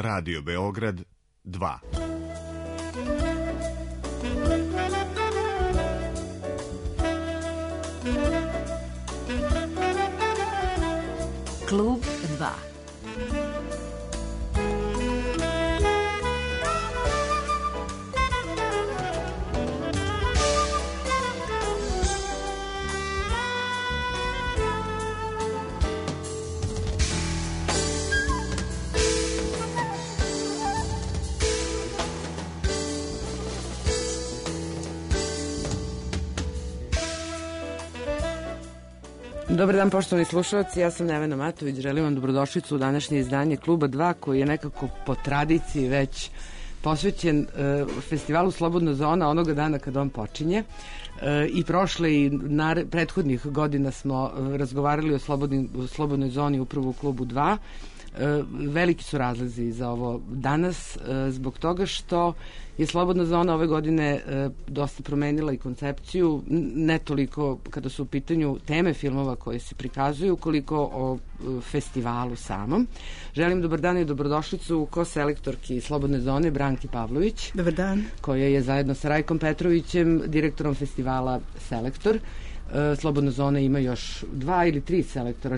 Radio Beograd 2. Klub 2. Dobar dan, poštovani slušalci, ja sam Nevena Matović, želim vam dobrodošlicu u današnje izdanje Kluba 2, koji je nekako po tradiciji već posvećen festivalu Slobodna zona onoga dana kad on počinje. I prošle i prethodnih godina smo razgovarali o slobodnoj zoni upravo u Klubu 2. Veliki su razlozi za ovo danas zbog toga što je Slobodna zona ove godine dosta promenila i koncepciju, ne toliko kada su u pitanju teme filmova koje se prikazuju, koliko o festivalu samom. Želim dobar dan i dobrodošlicu ko-selektorki Slobodne zone Branki Pavlović. Dobar dan. Koja je zajedno sa Rajkom Petrovićem, direktorom festivala Selektor. Slobodna zona ima još 2 ili 3 selektora,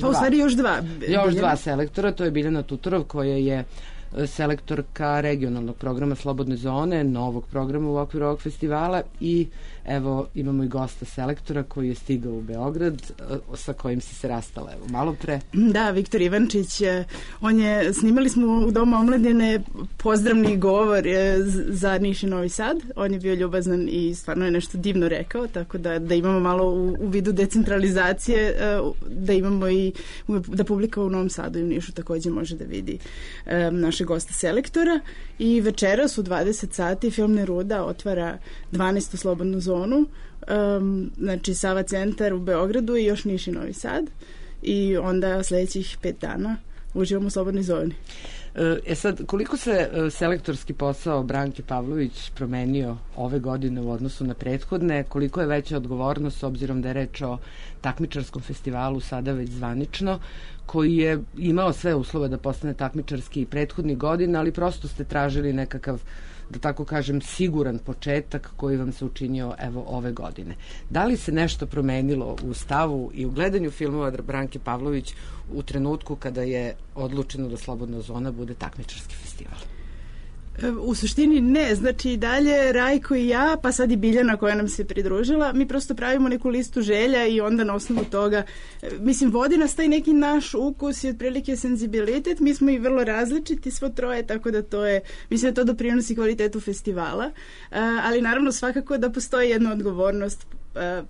u stvari još dva selektora, to je Biljana Tutorov koja je selektorka regionalnog programa Slobodne zone, novog programa u okviru ovog festivala, i evo imamo i gosta selektora koji je stigao u Beograd, sa kojim si se rastala malo pre. Da, Viktor Ivančić, snimali smo u Domu omladine pozdravni govor za Niš i Novi Sad, on je bio ljubazan i stvarno je nešto divno rekao, tako da imamo malo u vidu decentralizacije, da imamo i da publika u Novom Sadu i u Nišu takođe može da vidi naše gosta selektora. I večeras u 20 sati Film Neruda otvara 12. slobodnu zonu, znači Sava centar u Beogradu i još Niš i Novi Sad, i onda sledećih 5 dana uživamo u slobodnoj zoni. Sad, koliko se selektorski posao Branke Pavlović promenio ove godine u odnosu na prethodne, koliko je veća odgovornost s obzirom da je reč o takmičarskom festivalu sada već zvanično, koji je imao sve uslove da postane takmičarski i prethodnih godina, ali prosto ste tražili nekakav, da tako kažem, siguran početak koji vam se učinio evo ove godine. Da li se nešto promenilo u stavu i u gledanju filmova Branke Pavlović u trenutku kada je odlučeno da Slobodna zona bude takmičarski festival? U suštini ne, znači i dalje Rajko i ja, pa sad i Biljana koja nam se pridružila, mi prosto pravimo neku listu želja i onda na osnovu toga, mislim, vodi nas taj neki naš ukus i otprilike senzibilitet, mi smo i vrlo različiti svo troje, tako da to je, mislim da to doprinosi kvalitetu festivala, ali naravno svakako da postoji jedna odgovornost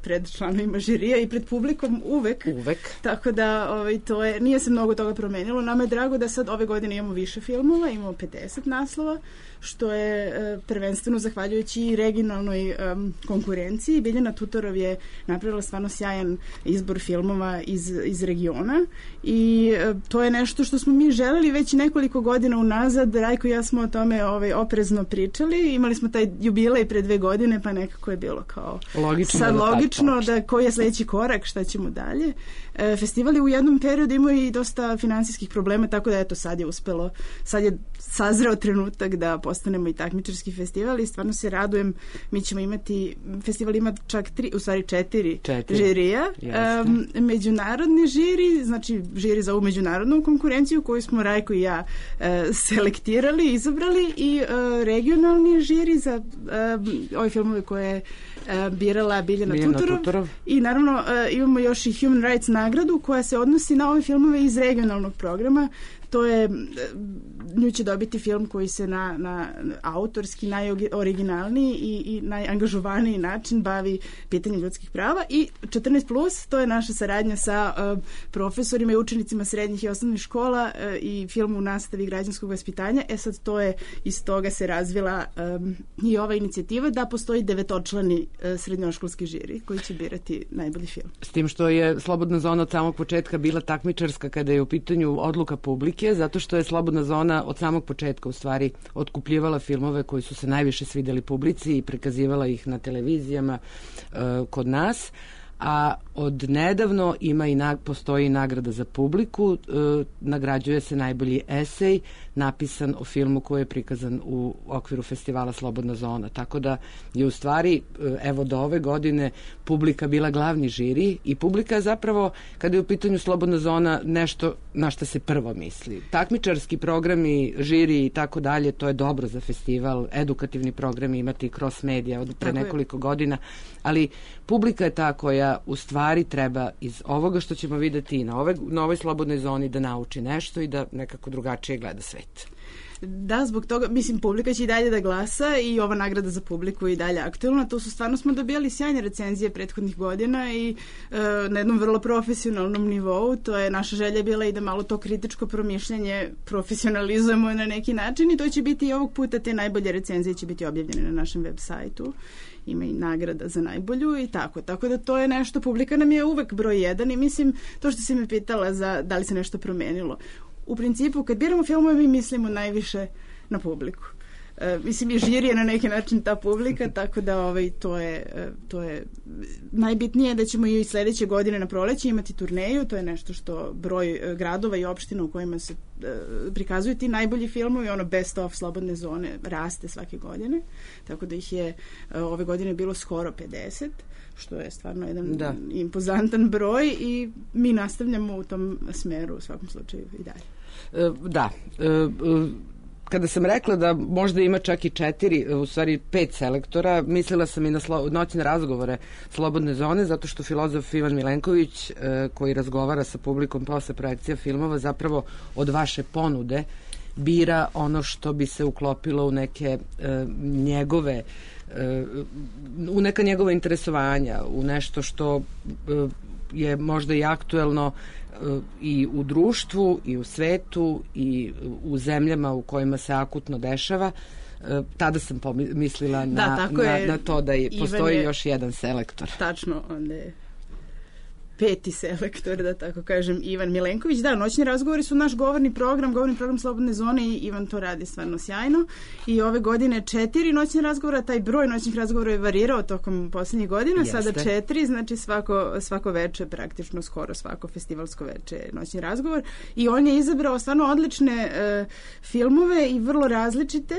pred članovima žirija i pred publikom uvek. Tako da to je, nije se mnogo toga promenilo. Nama je drago da sad ove godine imamo više filmova, imamo 50 naslova, što je prvenstveno zahvaljujući i regionalnoj konkurenciji. Biljana Tutorov je napravila stvarno sjajan izbor filmova iz regiona i to je nešto što smo mi želeli već nekoliko godina unazad. Rajko i ja smo o tome oprezno pričali. Imali smo taj jubilej pre 2 godine, pa nekako je bilo kao logično da koji je sledeći korak, šta ćemo dalje. Festival je u jednom periodu imao i dosta finansijskih problema, tako da eto sad je uspelo, sad je sazreo trenutak da postanemo i takmičarski festival i stvarno se radujem. Mi ćemo imati, festival ima čak 4 žirija. Međunarodni žiri, znači žiri za ovu međunarodnu konkurenciju koju smo Rajko i ja selektirali, izabrali, i regionalni žiri za ove filmove koje je birala Biljana Tutorov. I naravno imamo još i Human Rights nagradu koja se odnosi na ove filmove iz regionalnog programa. To je, nju će dobiti film koji se na autorski najoriginalniji i najangažovaniji način bavi pitanjem ljudskih prava, i 14+, to je naša saradnja sa profesorima i učenicima srednjih i osnovnih škola i film u nastavi građanskog vaspitanja. Sad to je, iz toga se razvila i ova inicijativa da postoji 9-člani srednjoškolski žiri koji će birati najbolji film. S tim što je Slobodna zona od samog početka bila takmičarska kada je u pitanju odluka publike, zato što je Slobodna zona od samog početka u stvari otkupljivala filmove koji su se najviše svideli publici i prikazivala ih na televizijama kod nas. A od nedavno postoji nagrada za publiku, nagrađuje se najbolji esej napisan o filmu koji je prikazan u okviru festivala Slobodna zona. Tako da je u stvari, evo do ove godine, publika bila glavni žiri i publika je zapravo, kada je u pitanju Slobodna zona, nešto na što se prvo misli. Takmičarski programi, žiri i tako dalje, to je dobro za festival, edukativni programi imati cross medija od pre nekoliko godina, ali publika je ta koja u stvari treba iz ovoga što ćemo videti na ovoj Slobodnoj zoni da nauči nešto i da nekako drugačije gleda svet. Da, zbog toga, mislim, publika će i dalje da glasa i ova nagrada za publiku je i dalje aktualna. To su stvarno, smo dobijali sjajne recenzije prethodnih godina i na jednom vrlo profesionalnom nivou. To je naša želja bila i da malo to kritičko promišljanje profesionalizujemo na neki način i to će biti i ovog puta, te najbolje recenzije će biti objavljene na našem web sajtu. Ima i nagrada za najbolju i tako. Tako da to je nešto, publika nam je uvek broj 1 i mislim, to što si me pitala za da li se nešto promenilo. U principu, kad biramo filmove, mi mislimo najviše na publiku. Mislim, i žiri je na neki način ta publika, tako da to je najbitnije da ćemo i sledeće godine na proleće imati turneju, to je nešto što broj gradova i opština u kojima se prikazuju ti najbolji filmovi, ono best of Slobodne zone raste svake godine, tako da ih je ove godine bilo skoro 50, što je stvarno jedan impozantan broj i mi nastavljamo u tom smeru u svakom slučaju i dalje. Da, kada sam rekla da možda ima čak i 4, u stvari 5 selektora, mislila sam i na noćne razgovore Slobodne zone, zato što filozof Ivan Milenković, koji razgovara sa publikom posle projekcija filmova, zapravo od vaše ponude bira ono što bi se uklopilo u neke njegove u neka njegova interesovanja, u nešto što je možda i aktuelno i u društvu i u svetu i u zemljama u kojima se akutno dešava. Tada sam mislila na to da postoji još jedan selektor. Tačno, onda je 5. selektor, da tako kažem, Ivan Milenković. Da, noćni razgovori su naš govorni program Slobodne zone i Ivan to radi stvarno sjajno. I ove godine 4 noćne razgovora, taj broj noćnih razgovora je varirao tokom poslednjih godina, sada 4, znači svako veče, praktično skoro svako festivalsko veče noćni razgovor. I on je izabrao stvarno odlične filmove i vrlo različite,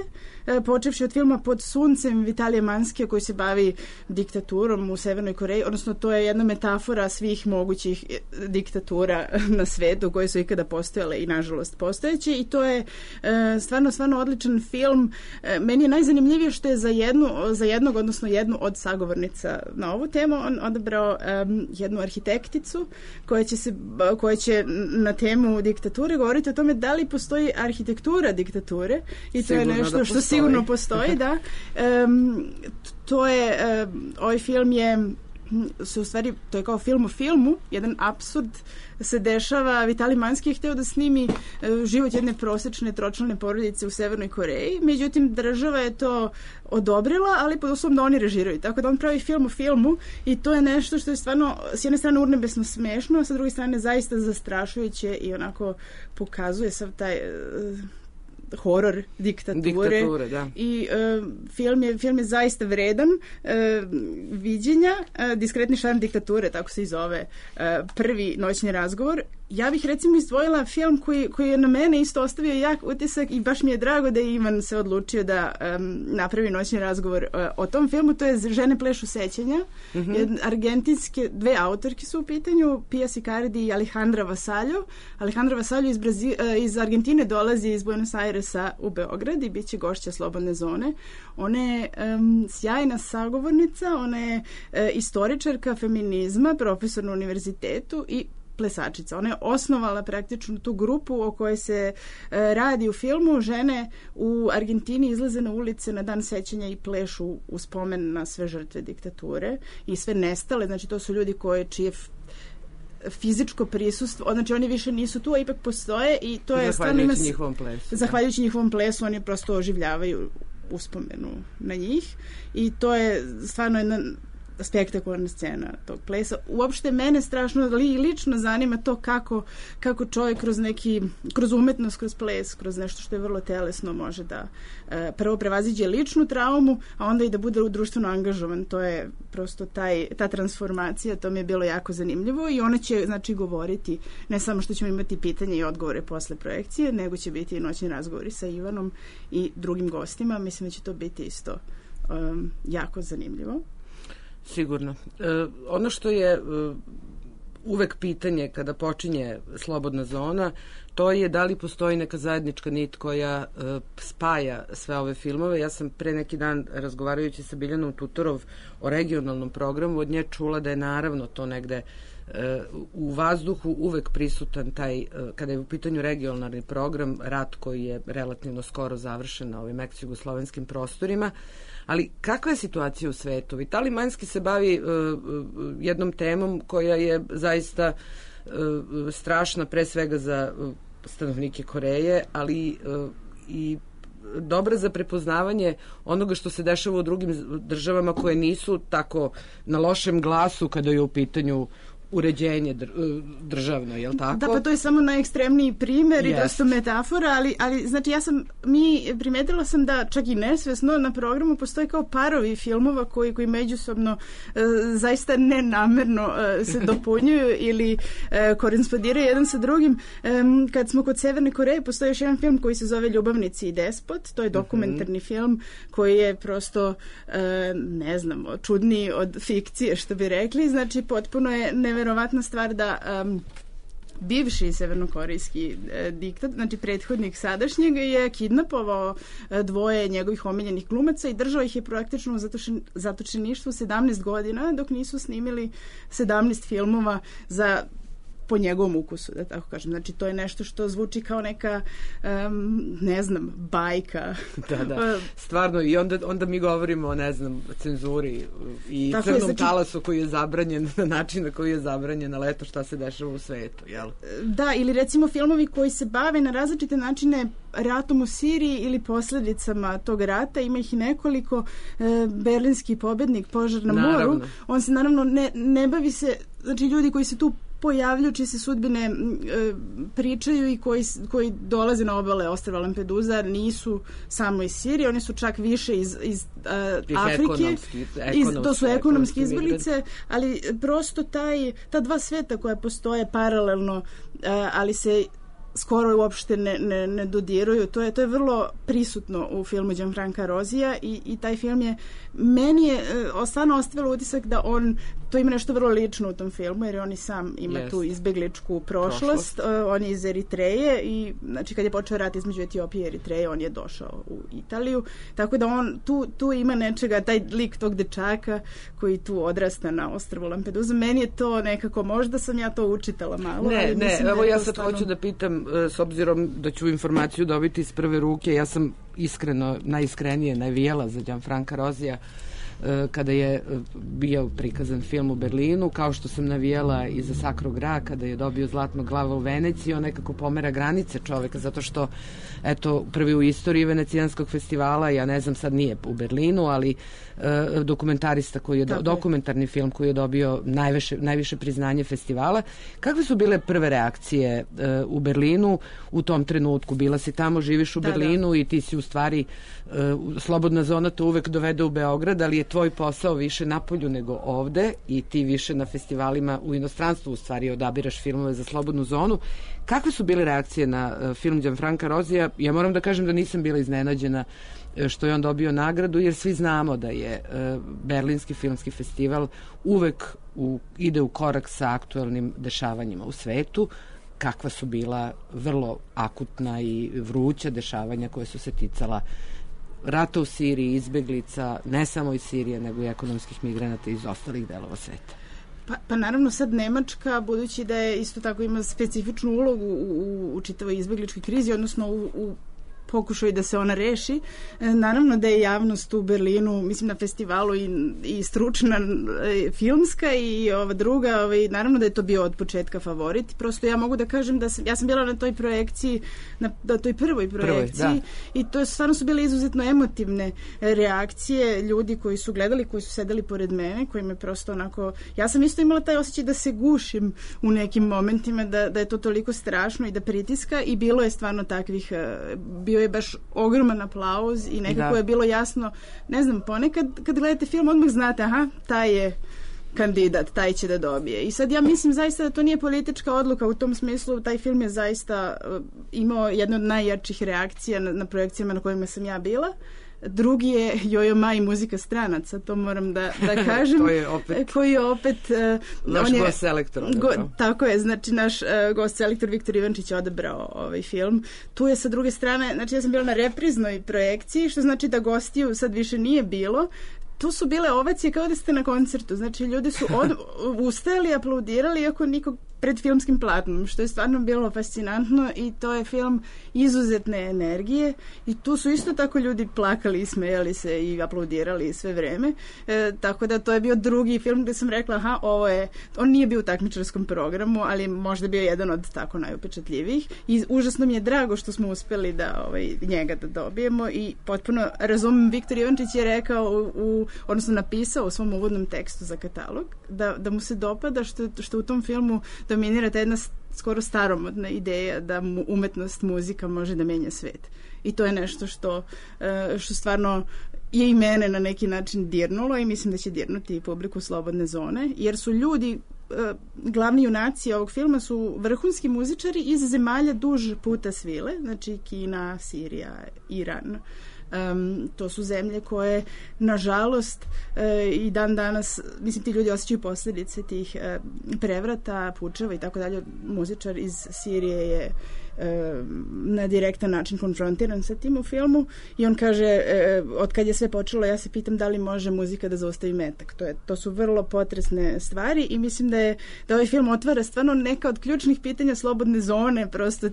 počevši od filma Pod suncem Vitalija Manskija koji se bavi diktaturom u Severnoj Koreji, odnosno to je jedna metafora svih mogućih diktatura na svetu koje su ikada postojale i nažalost postojeće i to je stvarno odličan film. Meni je najzanimljivije što je za jednog, odnosno jednu od sagovornica na ovu temu on odabrao jednu arhitekticu koja će na temu diktature govoriti o tome da li postoji arhitektura diktature i to je nešto što sigurno postoji, da. To je, ovaj film u stvari, to je kao film o filmu, jedan apsurd se dešava. Vitalij Manski je hteo da snimi život jedne prosečne tročlane porodice u Severnoj Koreji, međutim država je to odobrila, ali pod uslovom da oni režiraju, tako da on pravi film o filmu i to je nešto što je stvarno s jedne strane urnebesno smešno, a sa druge strane zaista zastrašujuće i onako pokazuje sav taj horor diktature da. I film je zaista vredan viđenja. Diskretni šarm diktature, tako se i zove prvi noćni razgovor. Ja bih recimo izdvojila film koji je na mene isto ostavio jak utisak i baš mi je drago da je Ivan se odlučio da napravi noćni razgovor o tom filmu. To je Žene plešu sećanja. Argentinske, 2 autorke su u pitanju, Pia Sicardi i Alejandra Vasallo. Alejandra Vasallo iz Argentine dolazi iz Buenos Airesa u Beograd i bit će gošća Slobodne zone. Ona je sjajna sagovornica, ona je istoričarka feminizma, profesor na univerzitetu i plesačica. Ona je osnovala praktično tu grupu o kojoj se radi u filmu. Žene u Argentini izlaze na ulice na dan sećanja i plešu u spomen na sve žrtve diktature i sve nestale. Znači to su ljudi čije fizičko prisustvo, znači oni više nisu tu, a ipak postoje i to je zahvaljujući njihovom plesu. Zahvaljujući njihovom plesu oni prosto oživljavaju uspomenu na njih i to je stvarno jedna spektakularna scena tog plesa. Uopšte mene strašno lično zanima to kako čovjek kroz umetnost, kroz ples, kroz nešto što je vrlo telesno može da prvo prevaziđe ličnu traumu, a onda i da bude društveno angažovan. To je prosto ta transformacija, to mi je bilo jako zanimljivo i ona će znači govoriti, ne samo što ćemo imati pitanje i odgovore posle projekcije, nego će biti i noćni razgovori sa Ivanom i drugim gostima. Mislim da će to biti isto jako zanimljivo. Sigurno. Ono što je uvek pitanje kada počinje Slobodna zona, to je da li postoji neka zajednička nit koja spaja sve ove filmove. Ja sam pre neki dan razgovarajući sa Biljanom Tutorov o regionalnom programu od nje čula da je naravno to negde u vazduhu uvek prisutan taj, kada je u pitanju regionalni program, rat koji je relativno skoro završen na ovim ex-jugoslovenskim prostorima. Ali kakva je situacija u svetu? Vitali Manjski se bavi jednom temom koja je zaista strašna pre svega za stanovnike Koreje, ali i dobra za prepoznavanje onoga što se dešava u drugim državama koje nisu tako na lošem glasu kada je u pitanju uređenje državno, je li tako? Da, pa to je samo najekstremniji primjer i dosta metafora, ali znači primetila sam da čak i nesvesno na programu postoje kao parovi filmova koji međusobno zaista nenamerno se dopunjuju ili korespondiraju jedan sa drugim. Kad smo kod Severne Koreje, postoji još jedan film koji se zove Ljubavnici i despot, to je dokumentarni film koji je prosto ne znam, čudniji od fikcije, što bi rekli, znači potpuno je neverovatna stvar da bivši severnokorejski diktat, znači prethodnik sadašnjeg, je kidnapovao dvoje njegovih omiljenih glumaca i držao ih je praktično u zatočeništvu 17 godina dok nisu snimili 17 filmova po njegovom ukusu, da tako kažem. Znači, to je nešto što zvuči kao neka, ne znam, bajka. Da. Stvarno, i onda mi govorimo o, ne znam, cenzuri i tako crnom talasu koji je zabranjen na način na koji je zabranjen, ali eto šta se dešava u svetu, jel? Da, ili recimo filmovi koji se bave na različite načine ratom u Siriji ili posljedicama tog rata, ima ih i nekoliko. Berlinski pobednik, Požar na moru, on se naravno ne bavi se, znači ljudi koji se tu pojavljuju, čije se sudbine pričaju i koji dolaze na obale ostrva Lampedusa nisu samo iz Sirije, oni su čak više iz Afrike. To su ekonomske izbjeglice, ali prosto ta dva sveta koja postoje paralelno, ali se skoro uopšte ne dodiruju. To je vrlo prisutno u filmu Gianfranca Rosija i taj film je meni stvarno ostavilo utisak da to ima nešto vrlo lično u tom filmu, jer on i sam ima tu izbegličku prošlost. On je iz Eritreje i znači kad je počeo rat između Etiopije i Eritreje, on je došao u Italiju. Tako da on tu ima nečega, taj lik tog dečaka koji tu odrasta na ostrvu Lampedusa. Meni je to nekako, možda sam ja to učitala malo. Evo ja sad hoću da pitam, s obzirom da ću informaciju dobiti iz prve ruke, ja sam najiskrenije navijala za Gianfranca Rosija kada je bio prikazan film u Berlinu, kao što sam navijala i za Sacro Gra kada je dobio Zlatnog glava u Veneciji. On nekako pomera granice čoveka, zato što eto, prvi u istoriji Venecijanskog festivala, ja ne znam, sad nije u Berlinu, ali dokumentarista koji je dokumentarni film koji je dobio najviše priznanje festivala. Kakve su bile prve reakcije u Berlinu u tom trenutku? Bila si tamo, živiš u Berlinu i ti si u stvari Slobodna zona te uvek dovede u Beograd, ali je tvoj posao više napolju nego ovde i ti više na festivalima u inostranstvu u stvari odabiraš filmove za Slobodnu zonu. Kakve su bile reakcije na film Gianfranca Rosija? Ja moram da kažem da nisam bila iznenađena što je on dobio nagradu, jer svi znamo da je Berlinski filmski festival uvek ide u korak sa aktuelnim dešavanjima u svetu, kakva su bila vrlo akutna i vruća dešavanja koje su se ticala rata u Siriji, izbeglica, ne samo iz Sirije, nego i ekonomskih migranata iz ostalih delova sveta. Pa naravno sad Nemačka, budući da je isto tako ima specifičnu ulogu u čitavoj izbegličkoj krizi, odnosno u pokušaju da se ona reši. Naravno da je javnost u Berlinu, mislim na festivalu i stručna filmska i ova druga, naravno da je to bio od početka favorit. Prosto ja mogu da kažem da ja sam bila na toj projekciji, na toj prvoj projekciji i to stvarno su bile izuzetno emotivne reakcije ljudi koji su gledali, koji su sedeli pored mene, koji me prosto onako, ja sam isto imala taj osjećaj da se gušim u nekim momentima, da je to toliko strašno i da pritiska i bilo je stvarno takvih, bio je baš ogroman aplauz i nekako je bilo jasno, ne znam, ponekad kad gledate film odmah znate, aha, taj je kandidat, taj će da dobije. I sad ja mislim zaista da to nije politička odluka u tom smislu, taj film je zaista imao jednu od najjačih reakcija na projekcijama na kojima sam ja bila. Drugi je Jojo Ma i muzika stranaca, to moram da kažem. To je opet koji je opet naš gost selektor. Tako je, znači naš gost selektor Viktor Ivančić je odabrao ovaj film. Tu je sa druge strane, znači ja sam bila na repriznoj projekciji, što znači da gostiju sad više nije bilo. Tu su bile ovacije kao da ste na koncertu, znači ljudi su ustajali, aplaudirali iako nikog pred filmskim platnom, što je stvarno bilo fascinantno i to je film izuzetne energije i tu su isto tako ljudi plakali i smejali se i aplaudirali sve vreme, tako da to je bio drugi film gde sam rekla, aha, on nije bio u takmičarskom programu, ali možda bio jedan od tako najupečatljivijih i užasno mi je drago što smo uspeli da njega da dobijemo i potpuno razumem, Viktor Ivančić je rekao odnosno napisao u svom uvodnom tekstu za katalog da mu se dopada što u tom filmu dominira ta jedna skoro staromodna ideja da umetnost, muzika može da menja svet. I to je nešto što stvarno je i mene na neki način dirnulo i mislim da će dirnuti i publiku Slobodne zone, jer su ljudi, glavni junaci ovog filma su vrhunski muzičari iz zemalja duž puta svile, znači Kina, Sirija, Iran. To su zemlje koje, nažalost, i dan danas, mislim, ti ljudi osjećaju posljedice tih prevrata, pučeva i tako dalje. Muzičar iz Sirije je na direktan način konfrontiran sa tim u filmu i on kaže, od kad je sve počelo, ja se pitam da li može muzika da zaustavi metak. To su vrlo potresne stvari i mislim da ovaj film otvara stvarno neka od ključnih pitanja Slobodne zone, prosto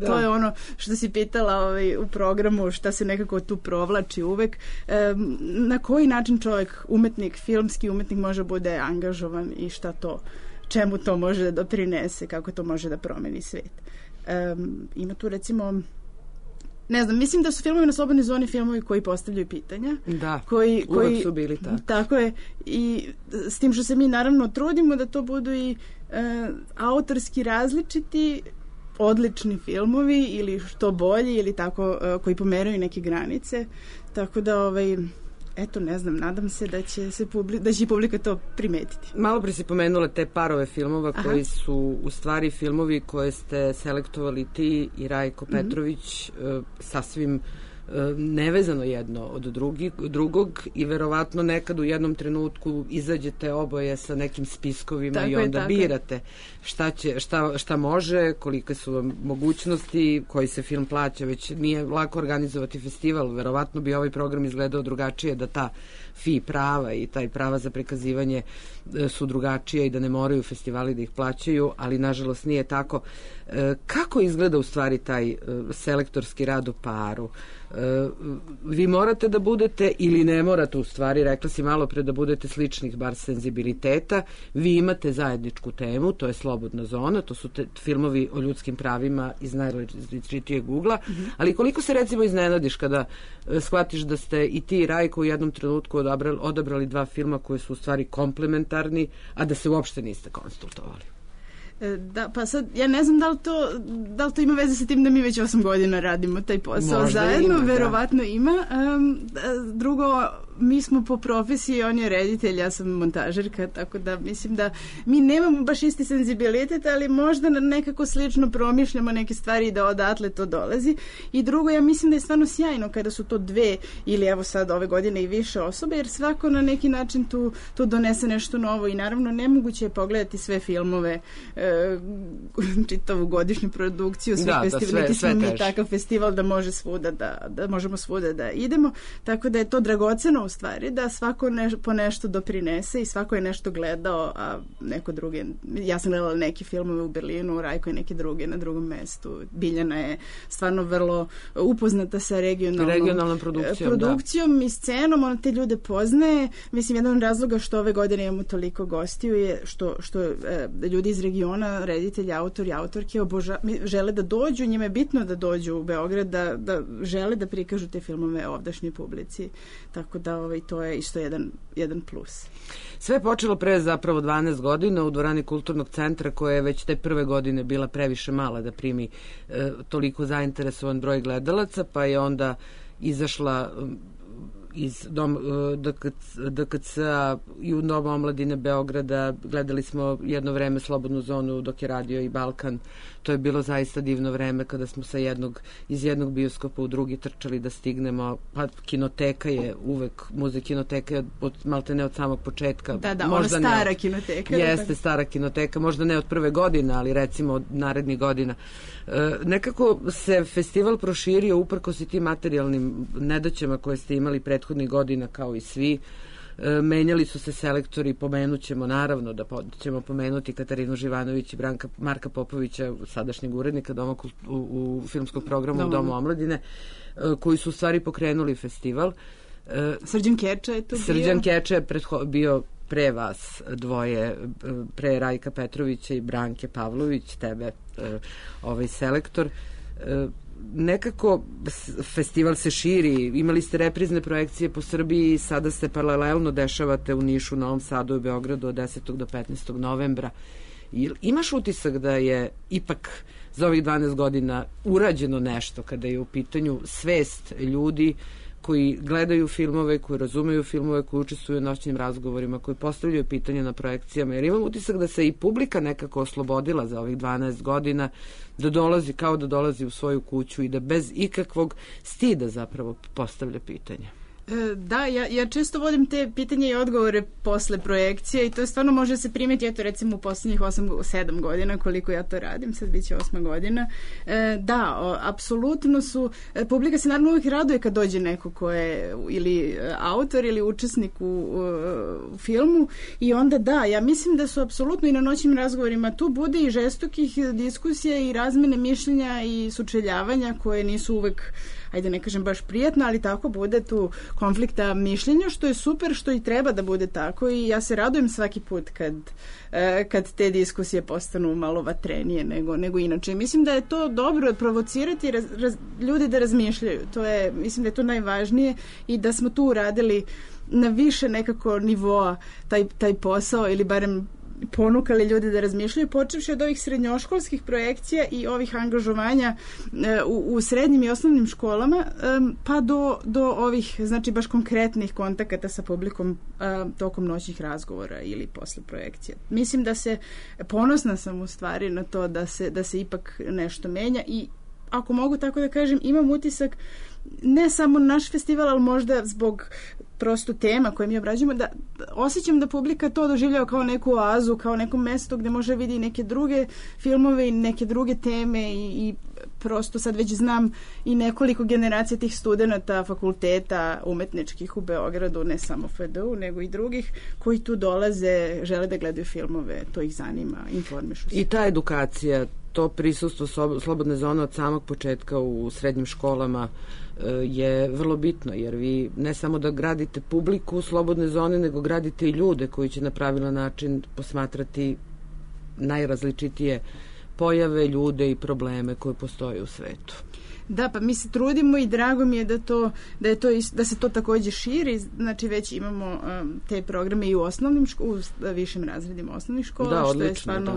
to je ono što si pitala u programu, šta se nekako tu provlači uvek, na koji način čovjek, umetnik, filmski umetnik može bude angažovan i šta to, čemu to može da doprinese, kako to može da promeni svet. Ima tu recimo, ne znam, mislim da su filmovi na Slobodnoj zoni filmovi koji postavljaju pitanja. Da, koji uvek su bili tako. Tako je, i s tim što se mi naravno trudimo da to budu i autorski različiti, odlični filmovi ili što bolji ili tako koji pomeraju neke granice, tako da eto, ne znam, nadam se da će publika to primetiti. Malo pre si pomenula te parove filmova koji su u stvari filmovi koje ste selektovali ti i Rajko Petrović sasvim nevezano jedno od drugog i verovatno nekad u jednom trenutku izađete oboje sa nekim spiskovima tako i onda birate šta može, kolike su vam mogućnosti, koji se film plaća, već nije lako organizovati festival, verovatno bi ovaj program izgledao drugačije da ta FI prava i taj prava za prikazivanje su drugačije i da ne moraju festivali da ih plaćaju, ali nažalost nije tako. Kako izgleda u stvari taj selektorski rad u paru? Vi morate da budete ili ne morate u stvari, rekla si malo pre da budete sličnih bar senzibiliteta, vi imate zajedničku temu, to je Slobodna zona, to su filmovi o ljudskim pravima iz najrazličitijeg ugla, ali koliko se recimo iznenadiš kada shvatiš da ste i ti i Rajko u jednom trenutku odabrali dva filma koji su u stvari komplementarni, a da se uopšte niste konsultovali? Da, pa sad, ja ne znam da li to ima veze sa tim da mi već 8 godina radimo taj posao možda zajedno, ima, verovatno ima. Drugo, mi smo po profesiji, on je reditelj, ja sam montažerka, tako da mislim da mi nemamo baš isti senzibilitet, ali možda nekako slično promišljamo neke stvari i da odatle to dolazi. I drugo, ja mislim da je stvarno sjajno kada su to dve ili evo sad ove godine i više osobe, jer svako na neki način tu donese nešto novo i naravno nemoguće je pogledati sve filmove čitavu godišnju produkciju, sve je takav festival da može svuda da možemo svuda da idemo, tako da je to dragoceno u stvari, da svako po nešto doprinese i svako je nešto gledao, a neko drugi, ja sam gledala neke filmove u Berlinu, Rajko je neke druge na drugom mestu, Biljana je stvarno vrlo upoznata sa regionalnom produkcijom i scenom, ona te ljude poznaje. Mislim, jedan od razloga što ove godine imamo toliko gostiju je što ljudi iz regiona, reditelji, autori, autorke žele da dođu, njima je bitno da dođu u Beograd, da žele da prikažu te filmove ovdašnjoj publici. Tako da to je isto jedan plus. Sve je počelo pre zapravo 12 godina u dvorani Kulturnog centra, koja je već te prve godine bila previše mala da primi toliko zainteresovan broj gledalaca, pa je onda izašla iz DKC-a i u Doma omladine Beograda. Gledali smo jedno vreme Slobodnu zonu dok je radio i Balkan. To je bilo zaista divno vreme kada smo iz jednog bioskopa u drugi trčali da stignemo. Pa kinoteka je uvek, kinoteka je maltene od samog početka. Da, ona stara kinoteka. Jeste, stara kinoteka, možda ne od prve godine, ali recimo od narednih godina. Nekako se festival proširio uprkos i tim materijalnim nedaćama koje ste imali prethodnih godina, kao i svi. Menjali su se selektori, pomenućemo naravno da ćemo pomenuti Katarinu Živanović i Marka Popovića, sadašnjeg urednika u filmskog programu Domu omladine, koji su u stvari pokrenuli festival. Srđan Keča je tu bio. Srđan Keča je bio pre vas dvoje, pre Rajka Petrovića i Branke Pavlović, tebe selektor. Nekako festival se širi, imali ste reprizne projekcije po Srbiji, sada se paralelno dešavate u Nišu, Novom Sadu i Beogradu od 10. do 15. novembra. Imaš utisak da je ipak za ovih 12 godina urađeno nešto kada je u pitanju svest ljudi koji gledaju filmove, koji razumeju filmove, koji učestvuju u noćnim razgovorima, koji postavljaju pitanja na projekcijama, jer imam utisak da se i publika nekako oslobodila za ovih 12 godina, da dolazi u svoju kuću i da bez ikakvog stida zapravo postavlja pitanja. Da, ja često vodim te pitanje i odgovore posle projekcije i to stvarno može se primeti, eto recimo u poslednjih 7 godina koliko ja to radim, sad bit će 8 godina. Da, apsolutno publika se naravno uvijek raduje kad dođe neko ko je ili autor ili učesnik u filmu i onda da, ja mislim da su apsolutno i na noćnim razgovorima tu bude i žestokih diskusija i razmene mišljenja i sučeljavanja koje nisu uvek, ajde ne kažem baš prijatno, ali tako bude tu konflikta mišljenja, što je super, što i treba da bude tako i ja se radujem svaki put kad te diskusije postanu malo vatrenije nego inače. Mislim da je to dobro provocirati ljude da razmišljaju. Mislim da je to najvažnije i da smo tu uradili na više nekako nivoa taj posao ili barem ponukali ljude da razmišljaju, počevši od ovih srednjoškolskih projekcija i ovih angažovanja u srednjim i osnovnim školama, pa do ovih, znači baš konkretnih kontakata sa publikom tokom noćnih razgovora ili posle projekcije. Mislim ponosna sam u stvari na to da se ipak nešto menja i ako mogu tako da kažem, imam utisak ne samo naš festival, ali možda zbog prosto tema koje mi obrađujemo, da osjećam da publika to doživljava kao neku oazu, kao neko mesto gde može vidi neke druge filmove i neke druge teme i prosto sad već znam i nekoliko generacija tih studenata fakulteta umetničkih u Beogradu, ne samo FDU, nego i drugih, koji tu dolaze, žele da gledaju filmove, to ih zanima, informišu se. I ta edukacija, to prisustvo slobodne zone od samog početka u srednjim školama je vrlo bitno, jer vi ne samo da gradite publiku slobodne zone, nego gradite i ljude koji će na pravilan način posmatrati najrazličitije pojave, ljude i probleme koje postoje u svetu. Da, pa mi se trudimo i drago mi je da se to takođe širi, znači već imamo te programe i u višim razredima osnovnih škola, da, odlično, što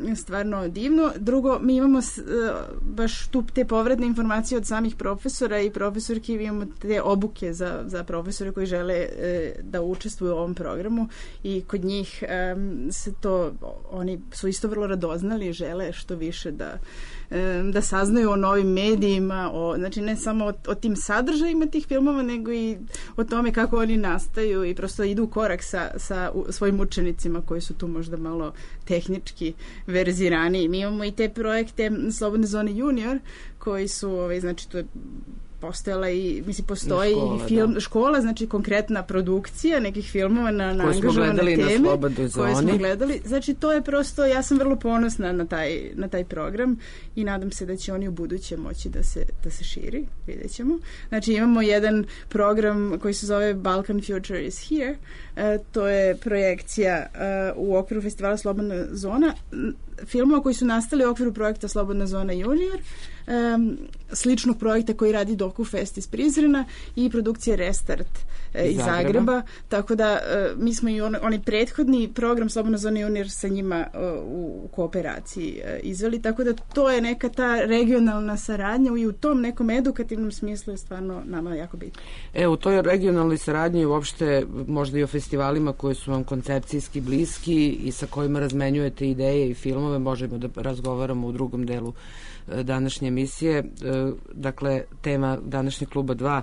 je stvarno divno. Drugo, mi imamo baš tu te povratne informacije od samih profesora i profesorki, imamo te obuke za profesore koji žele da učestvuju u ovom programu i kod njih oni su isto vrlo radoznali i žele što više da saznaju o novim medijima, znači ne samo o tim sadržajima tih filmova, nego i o tome kako oni nastaju i prosto idu u korak sa svojim učenicima koji su tu možda malo tehnički verziraniji. Mi imamo i te projekte Slobodne zone junior koji su, znači to je postojala i, mislim, postoji i film, škola, znači konkretna produkcija nekih filmova na angažovane teme koje smo gledali. Znači to je prosto, ja sam vrlo ponosna na taj program i nadam se da će oni u buduće moći da se širi, vidjet ćemo. Znači imamo jedan program koji se zove Balkan Future is Here, to je projekcija u okviru festivala Slobodna zona, filmova koji su nastali u okviru projekta Slobodna zona junior, sličnog projekta koji radi DokuFest iz Prizrena i produkcije Restart iz Zagreba. Tako da mi smo i onaj prethodni program Slobodna zona junior sa njima u kooperaciji izveli, tako da to je neka ta regionalna saradnja i u tom nekom edukativnom smislu je stvarno nama jako bitno. U toj regionalnoj saradnji uopšte možda i o festivalima koji su vam koncepcijski bliski i sa kojima razmenjujete ideje i filmove, možemo da razgovaramo u drugom delu današnje emisije. Dakle, tema današnjeg kluba 2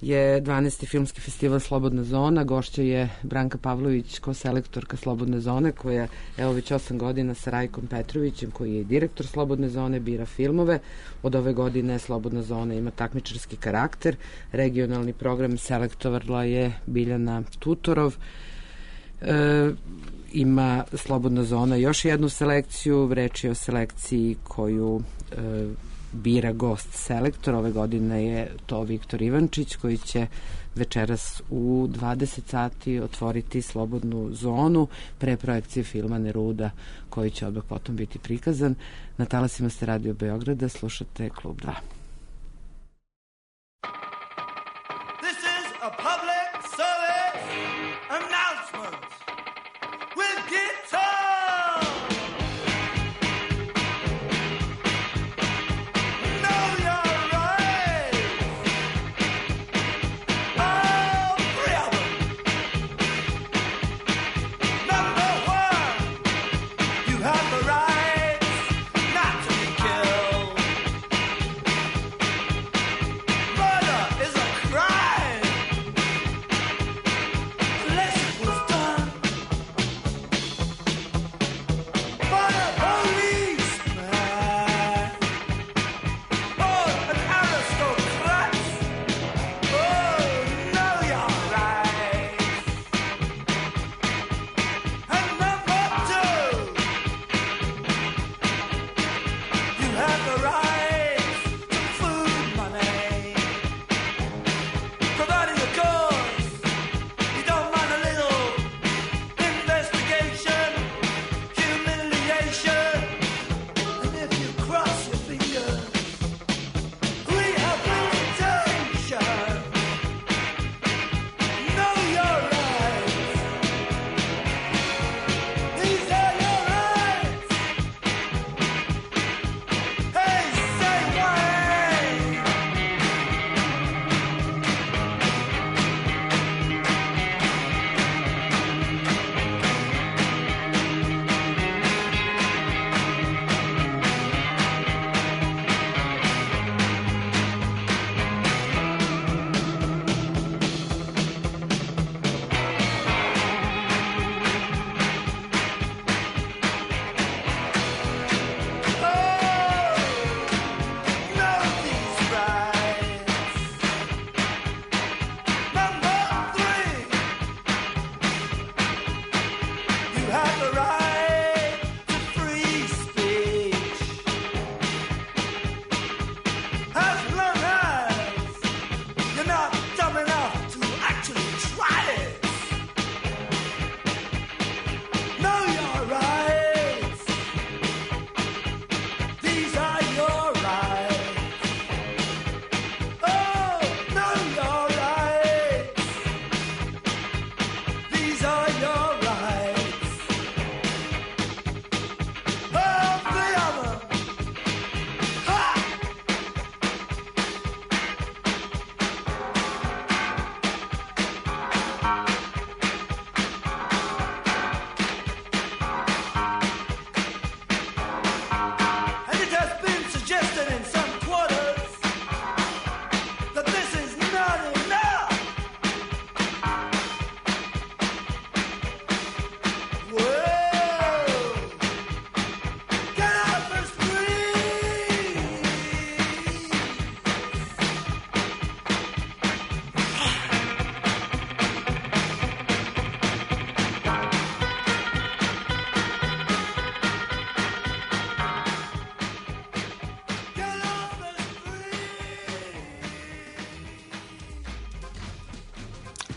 je 12. filmski festival Slobodna zona. Gošća je Branka Pavlović, koselektorka Slobodne zone, koja evo već 8 godina sa Rajkom Petrovićem, koji je direktor Slobodne zone, bira filmove. Od ove godine Slobodna zona ima takmičarski karakter. Regionalni program selektovala je Biljana Tutorov. Ima Slobodna zona još jednu selekciju, reč je o selekciji koju bira gost selektor. Ove godine je to Viktor Ivančić, koji će večeras u 20 sati otvoriti Slobodnu zonu pre projekcije filma Neruda, koji će odmah potom biti prikazan. Na talasima ste Radio Beograda, slušate Klub 2. This is a public service announcement with guitar.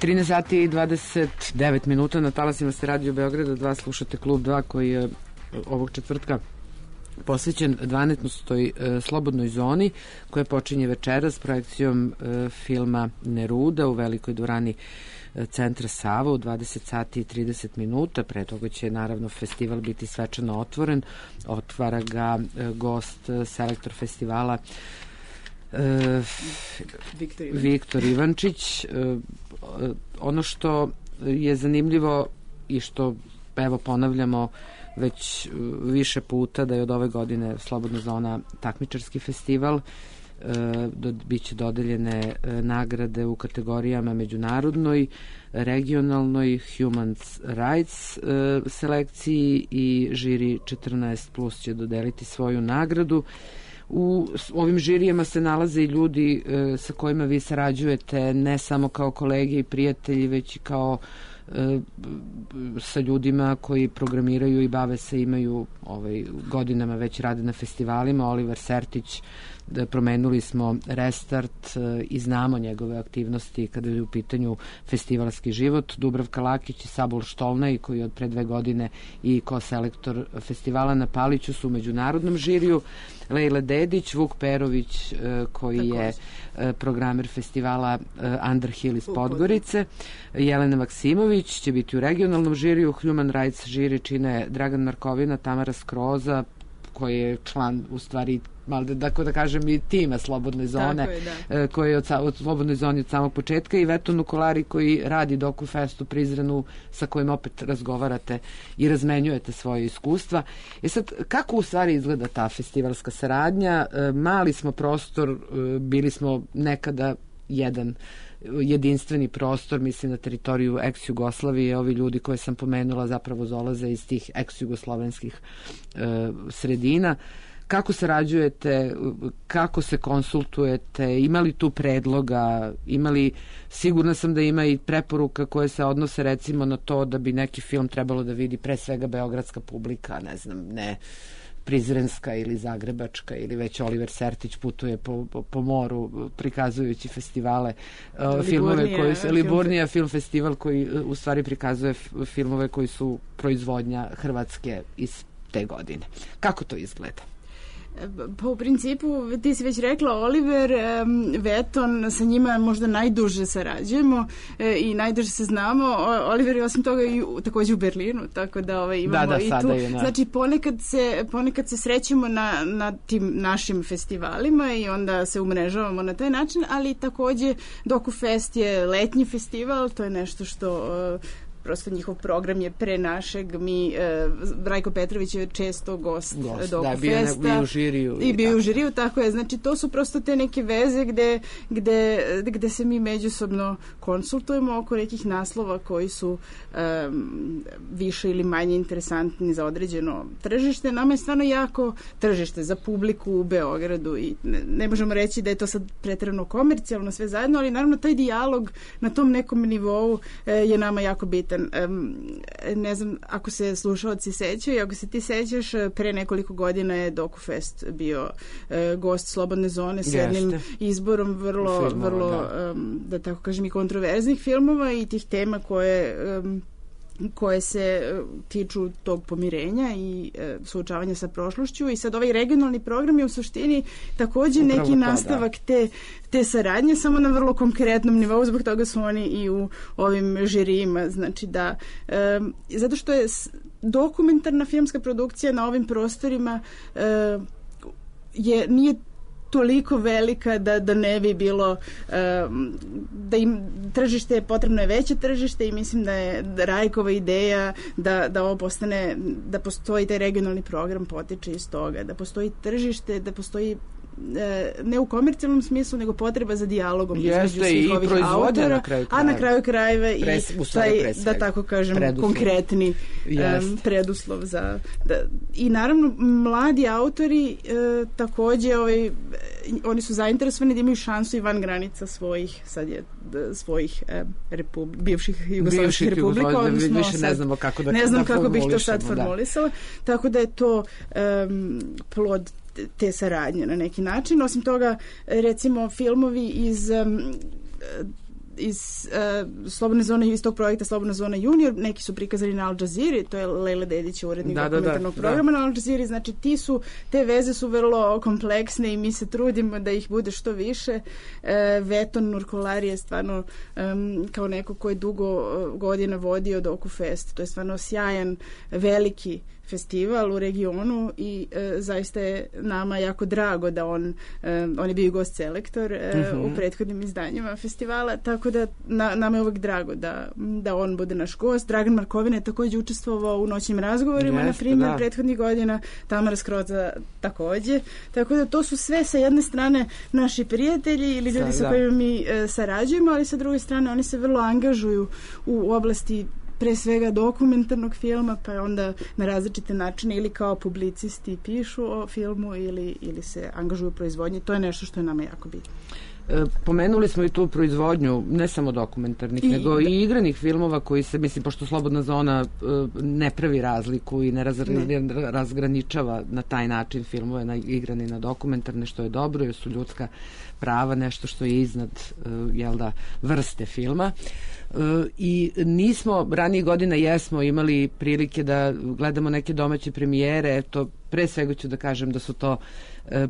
13 sati i 29 minuta na talasima ste Radio Beograda 2, slušate Klub 2 koji je ovog četvrtka posvećen 12. slobodnoj zoni koja počinje večera s projekcijom filma Neruda u velikoj dvorani Centra Sava u 20 sati i 30 minuta. Pre toga će naravno festival biti svečano otvoren. Otvara ga gost, selektor festivala Viktor Ivančić. Ono što je zanimljivo i što evo ponavljamo već više puta da je od ove godine Slobodna zona takmičarski festival, biće dodeljene nagrade u kategorijama međunarodnoj, regionalnoj, human rights selekciji i žiri 14+ će dodeliti svoju nagradu. U ovim žirijama se nalaze i ljudi sa kojima vi sarađujete ne samo kao kolege i prijatelji, već i kao sa ljudima koji programiraju i bave se, imaju godinama već rade na festivalima. Oliver Sertić, promenuli smo Restart i znamo njegove aktivnosti kada je u pitanju festivalski život. Dubravka Lakić i Sabol Štolnaj, koji je od pre 2 godine i ko-selektor festivala na Paliću, su u međunarodnom žiriju. Lejla Dedić, Vuk Perović, koji je programer festivala Underhill iz Podgorice, Jelena Maksimović će biti u regionalnom žiriju. Human Rights žiri čine Dragan Markovina, Tamara Skroza, koji je član, u stvari, da kažem, i tima Slobodne zone, koji je od Slobodnoj zoni od samog početka, i Veto Nukolari, koji radi DokuFest u Prizrenu, sa kojim opet razgovarate i razmenjujete svoje iskustva. Sad, kako u stvari izgleda ta festivalska saradnja? Mali smo prostor, bili smo nekada jedan jedinstveni prostor, mislim na teritoriju ex-Jugoslavije. Ovi ljudi koje sam pomenula zapravo dolaze iz tih ex-jugoslovenskih sredina. Kako sarađujete, kako se konsultujete, ima li tu predloga, sigurna sam da ima i preporuka koje se odnose recimo na to da bi neki film trebalo da vidi pre svega beogradska publika, ne prizrenska ili zagrebačka, ili već Oliver Sertić putuje po moru prikazujući festivale, Liburnija film festival koji u stvari prikazuje filmove koji su proizvodnja Hrvatske iz te godine. Kako to izgleda? Pa u principu, ti si već rekla, Oliver, Veton, sa njima možda najduže sarađujemo i najduže se znamo. Oliver je osim toga i takođe u Berlinu, tako da imamo i tu. Znači, ponekad se srećemo na tim našim festivalima i onda se umrežavamo na taj način, ali takođe DokuFest je letnji festival, to je nešto što prosto njihov program je pre našeg. Rajko Petrović je često gost DokuFesta. Bio u žiriju. I bio u žiriju, tako je. Znači, to su prosto te neke veze gde se mi međusobno konsultujemo oko nekih naslova koji su više ili manje interesantni za određeno tržište. Nama je stvarno jako tržište za publiku u Beogradu i ne možemo reći da je to sad preterano komercijalno sve zajedno, ali naravno taj dijalog na tom nekom nivou je nama jako bitan. Ne znam ako se slušalci sećaju, ako se ti sećaš, pre nekoliko godina je DokuFest bio gost Slobodne zone s jednim izborom vrlo da tako kažem i kontroverznih filmova i tih tema koje se tiču tog pomirenja i suočavanja sa prošlošću. I sad ovaj regionalni program je u suštini takođe neki nastavak te saradnje, samo na vrlo konkretnom nivou, zbog toga su oni i u ovim žirijima. Znači da, zato što je dokumentarna filmska produkcija na ovim prostorima nije toliko velika da ne bi bilo da im tržište, potrebno je veće tržište i mislim da je Rajkova ideja da ovo postane, da postoji taj regionalni program potiče iz toga, da postoji tržište, da postoji ne u komercijalnom smislu, nego potreba za dijalogom između svih ovih autora, a na kraju krajeva i taj, da tako kažem, konkretni preduslov za... I naravno, mladi autori takođe, oni su zainteresovani da imaju šansu i van granica svojih, sad je svojih bivših jugoslovenskih republika, odnosno više ne znamo kako ne znam kako bih to sad formulisala, tako da je to plod te saradnje na neki način. Osim toga, recimo, filmovi iz iz Slobodne zone, iz tog projekta Slobodna zona junior, neki su prikazani na Al Jazeera, to je Lejla Dedić, urednik dokumentarnog programa na Al Jazeera, znači te veze su vrlo kompleksne i mi se trudimo da ih bude što više. Veton Nurkolari je stvarno kao neko ko je dugo godina vodio DokuFest, to je stvarno sjajan, veliki festival u regionu i zaista je nama jako drago da on je bio gost selektor u prethodnim izdanjima festivala, tako da nama je uvek drago da on bude naš gost. Dragan Markovina je takođe učestvovao u noćnim razgovorima, na primjer, prethodnih godina, Tamara Skroza takođe, tako da to su sve sa jedne strane naši prijatelji ili ljudi sa kojima mi sarađujemo, ali sa druge strane oni se vrlo angažuju u oblasti pre svega dokumentarnog filma, pa onda na različite načine ili kao publicisti pišu o filmu ili se angažuju u proizvodnji. To je nešto što je nama jako bitno. Pomenuli smo i tu proizvodnju, ne samo dokumentarnih, nego i igranih filmova koji se, mislim, pošto Slobodna zona ne pravi razliku i ne razgraničava na taj način filmove na igrane i na dokumentarne, što je dobro, jer su ljudska prava nešto što je iznad vrste filma. I nismo, ranije godina jesmo imali prilike da gledamo neke domaće premijere, to pre svega ću da kažem da su to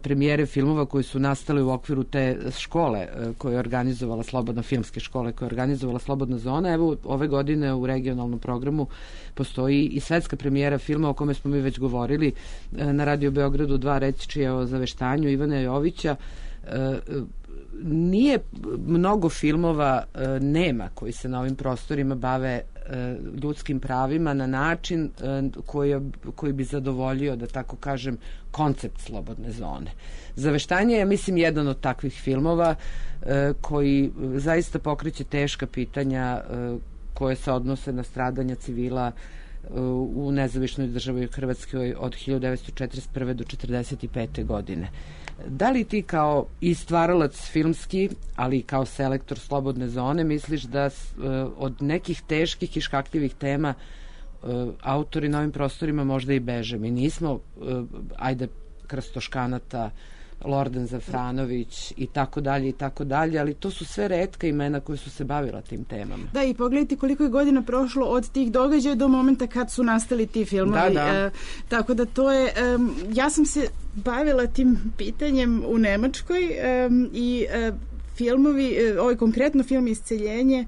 premijere filmova koji su nastale u okviru te škole koje je organizovala filmske škole koje je organizovala Slobodna zona. Evo, ove godine u regionalnom programu postoji i svetska premijera filma o kome smo mi već govorili na Radio Beogradu 2, reći je o Zaveštanju Ivana Jovića. Nije mnogo filmova nema koji se na ovim prostorima bave ljudskim pravima na način koji bi zadovoljio, da tako kažem, koncept Slobodne zone. Zaveštanje je, mislim, jedan od takvih filmova koji zaista pokreće teška pitanja koje se odnose na stradanja civila u nezavisnoj državi Hrvatskoj od 1941. do 1945. godine. Da li ti kao i stvaralac filmski, ali i kao selektor Slobodne zone, misliš da od nekih teških i škakljivih tema autori na ovim prostorima možda i beže? Mi nismo, Krstoškanata, Lordan Zafranović i tako dalje, ali to su sve retka imena koje su se bavila tim temama. Da, i pogledajte koliko je godina prošlo od tih događaja do momenta kad su nastali ti filmovi. Tako da to je, ja sam se bavila tim pitanjem u Nemačkoj i filmovi, ovaj konkretno film Isceljenje,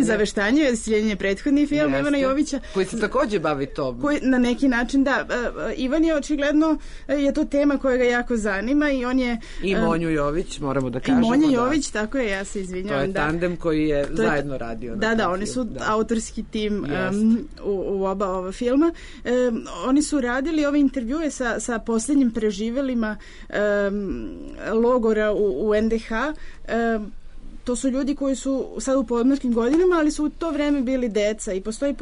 Zaveštanje, Isceljenje je prethodni film Ivana Jovića. Koji se takođe bavi to. Na neki način, da. Ivan je očigledno, je to tema koja ga jako zanima i on je... I Monju Jović, moramo da kažemo. I Monja Jović, tako je, ja se izvinjavam. To je tandem koji je zajedno radio. Da, oni su autorski tim u oba ova filma. Oni su radili ove intervjue sa posljednjim preživelima logora u NDH. To su ljudi koji su sad u podmlačkim godinama, ali su u to vreme bili deca i postoji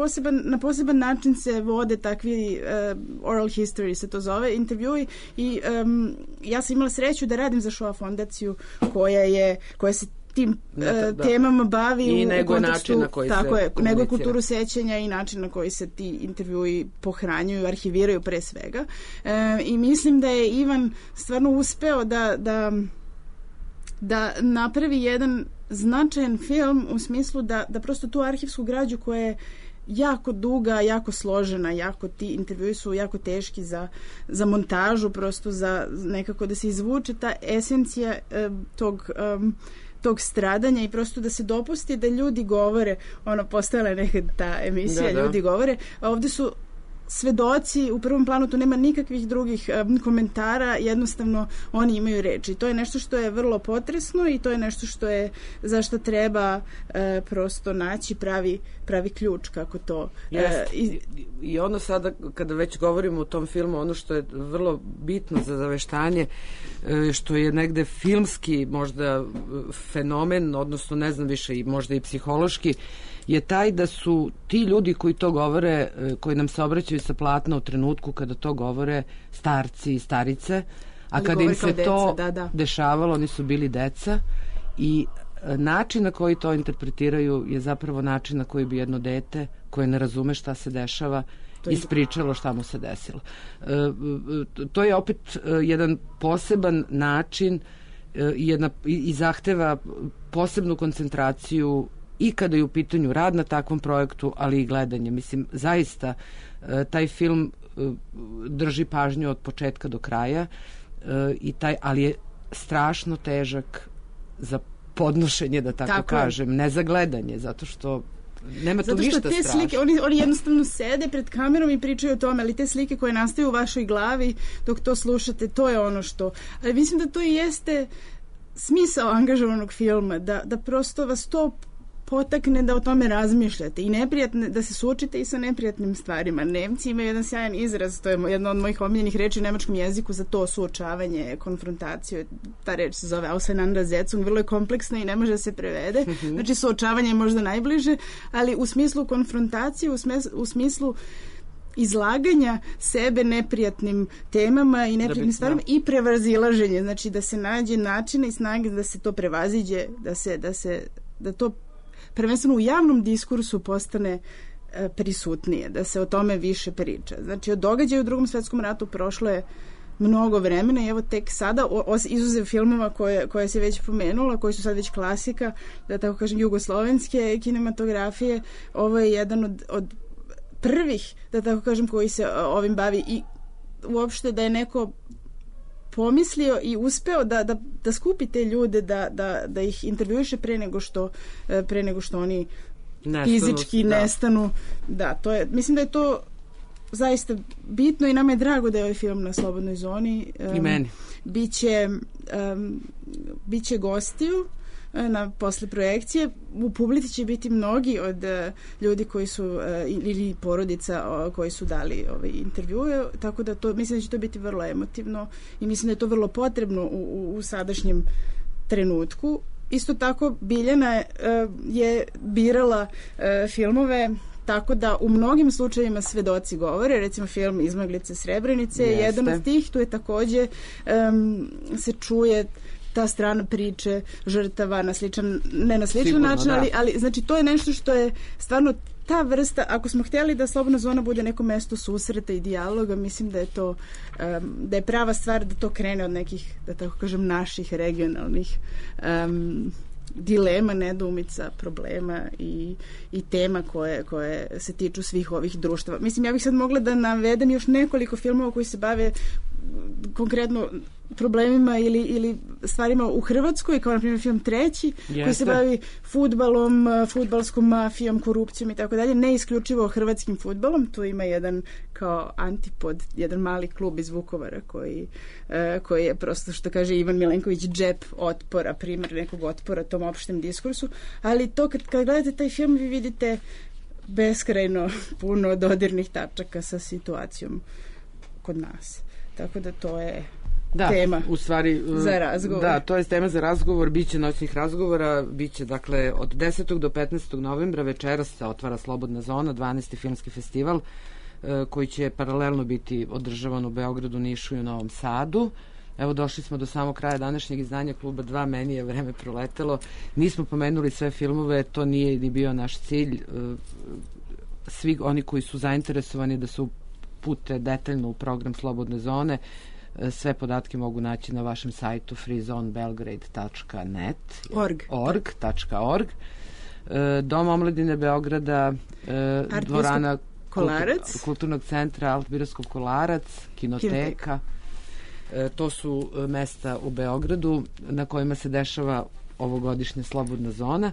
na poseban način se vode takvi oral history se to zove, intervjui i ja sam imala sreću da radim za Shoah fondaciju koja se tim temama bavi i nego način na koji nego kulturu sećanja i način na koji se ti intervjui pohranjuju, arhiviraju pre svega. I mislim da je Ivan stvarno uspeo da napravi jedan značajan film u smislu da prosto tu arhivsku građu koja je jako duga, jako složena, ti intervjui su jako teški za montažu, prosto za nekako da se izvuče ta esencija tog stradanja i prosto da se dopusti da ljudi govore, postojala je nekad ta emisija, ljudi govore, ovde su svedoci, u prvom planu tu nema nikakvih drugih komentara, jednostavno oni imaju reči. To je nešto što je vrlo potresno i to je nešto za što treba prosto naći pravi ključ kako to... I ono sada, kada već govorimo o tom filmu, ono što je vrlo bitno za Zaveštanje, što je negde filmski možda fenomen, odnosno ne znam više, i možda i psihološki, je taj da su ti ljudi koji to govore, koji nam se obraćaju sa platna u trenutku kada to govore, starci i starice, a kada im se to dešavalo, oni su bili deca i način na koji to interpretiraju je zapravo način na koji bi jedno dete koje ne razume šta se dešava ispričalo šta mu se desilo. To je opet jedan poseban način i zahteva posebnu koncentraciju i kada je u pitanju rad na takvom projektu, ali i gledanje. Mislim, zaista taj film drži pažnju od početka do kraja, ali je strašno težak za podnošenje, da tako kažem, ne za gledanje, zato što nema tu ništa strašno. Zato što te slike, oni jednostavno sede pred kamerom i pričaju o tome, ali te slike koje nastaju u vašoj glavi dok to slušate, to je ono što... Ali mislim da to i jeste smisao angažovanog filma, da prosto vas to potakne da o tome razmišljate i da se suočite i sa neprijatnim stvarima. Nemci imaju jedan sjajan izraz, to je jedna od mojih omiljenih reči u nemačkom jeziku za to suočavanje, konfrontaciju. Ta reč se zove Auseinandersetzung, vrlo je kompleksna i ne može da se prevede. Znači, suočavanje je možda najbliže, ali u smislu konfrontacije, u smislu izlaganja sebe neprijatnim temama i neprijatnim stvarima i prevazilaženje. Znači, da se nađe načina i snage da se to prevaziđe, da to prvenstveno u javnom diskursu postane prisutnije, da se o tome više priča. Znači, od događaja u Drugom svetskom ratu prošlo je mnogo vremena i evo tek sada, izuzev filmova koje se već pomenula, koji su sad već klasika, da tako kažem, jugoslovenske kinematografije, ovo je jedan od prvih, da tako kažem, koji se ovim bavi i uopšte da je neko pomislio i uspeo da skupi te ljude, da ih intervjuiše pre nego što oni fizički nestanu. Da, to je, mislim da je to zaista bitno i nama je drago da je ovaj film na Slobodnoj zoni. I meni. Biće gostiju posle projekcije. U publici će biti mnogi od ljudi koji su ili porodica koji su dali intervjue, tako da mislim da će to biti vrlo emotivno i mislim da je to vrlo potrebno u sadašnjem trenutku. Isto tako Biljana je birala filmove tako da u mnogim slučajevima svedoci govore, recimo film Izmaglice Srebrenice je jedan od tih, tu je takođe se čuje ta strana priče žrtava na sličan, ne na sličan sigurno, način, ali znači to je nešto što je stvarno ta vrsta, ako smo htjeli da Slobodna zona bude neko mesto susreta i dijaloga, mislim da je to da je prava stvar da to krene od nekih, da tako kažem, naših regionalnih dilema, nedoumica, problema i tema koje se tiču svih ovih društava. Mislim, ja bih sad mogla da navedem još nekoliko filmova koji se bave konkretno problemima ili stvarima u Hrvatskoj, kao na primjer film Treći, koji se bavi fudbalom, fudbalskom mafijom, korupcijom i tako dalje, ne isključivo hrvatskim fudbalom. Tu ima jedan kao antipod, jedan mali klub iz Vukovara koji je prosto, što kaže Ivan Milenković, džep otpora, primjer nekog otpora tom opštem diskursu, ali to kad gledate taj film vi vidite beskrajno puno dodirnih tačaka sa situacijom kod nas. Tako da to je tema u stvari, za razgovor. Da, to je tema za razgovor, biće noćnih razgovora, biće dakle od 10. do 15. novembra večeras se otvara Slobodna zona, 12. filmski festival koji će paralelno biti održavan u Beogradu, Nišu i u Novom Sadu. Evo, došli smo do samog kraja današnjeg izdanja Kluba 2, meni je vreme proletelo. Nismo pomenuli sve filmove, to nije ni bio naš cilj. Svi oni koji su zainteresovani da se upute detaljno u program Slobodne zone, sve podatke mogu naći na vašem sajtu freezonebelgrade.net org. Dom omladine Beograda, dvorana Kulturnog centra Alt-Birovskog Kolarac, kinoteka. To su mesta u Beogradu na kojima se dešava ovogodišnja Slobodna zona.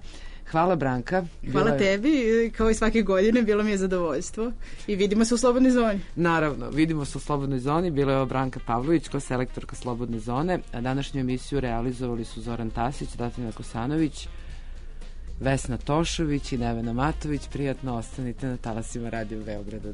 Hvala, Branka. Hvala tebi, kao i svake godine, bilo mi je zadovoljstvo i vidimo se u Slobodnoj zoni. Naravno, vidimo se u Slobodnoj zoni, bila je Branka Pavlović, selektorka Slobodne zone, a današnju emisiju realizovali su Zoran Tasić, Datina Kosanović, Vesna Tošović i Nevena Matović. Prijatno ostanite na talasima Radio Beograda 2.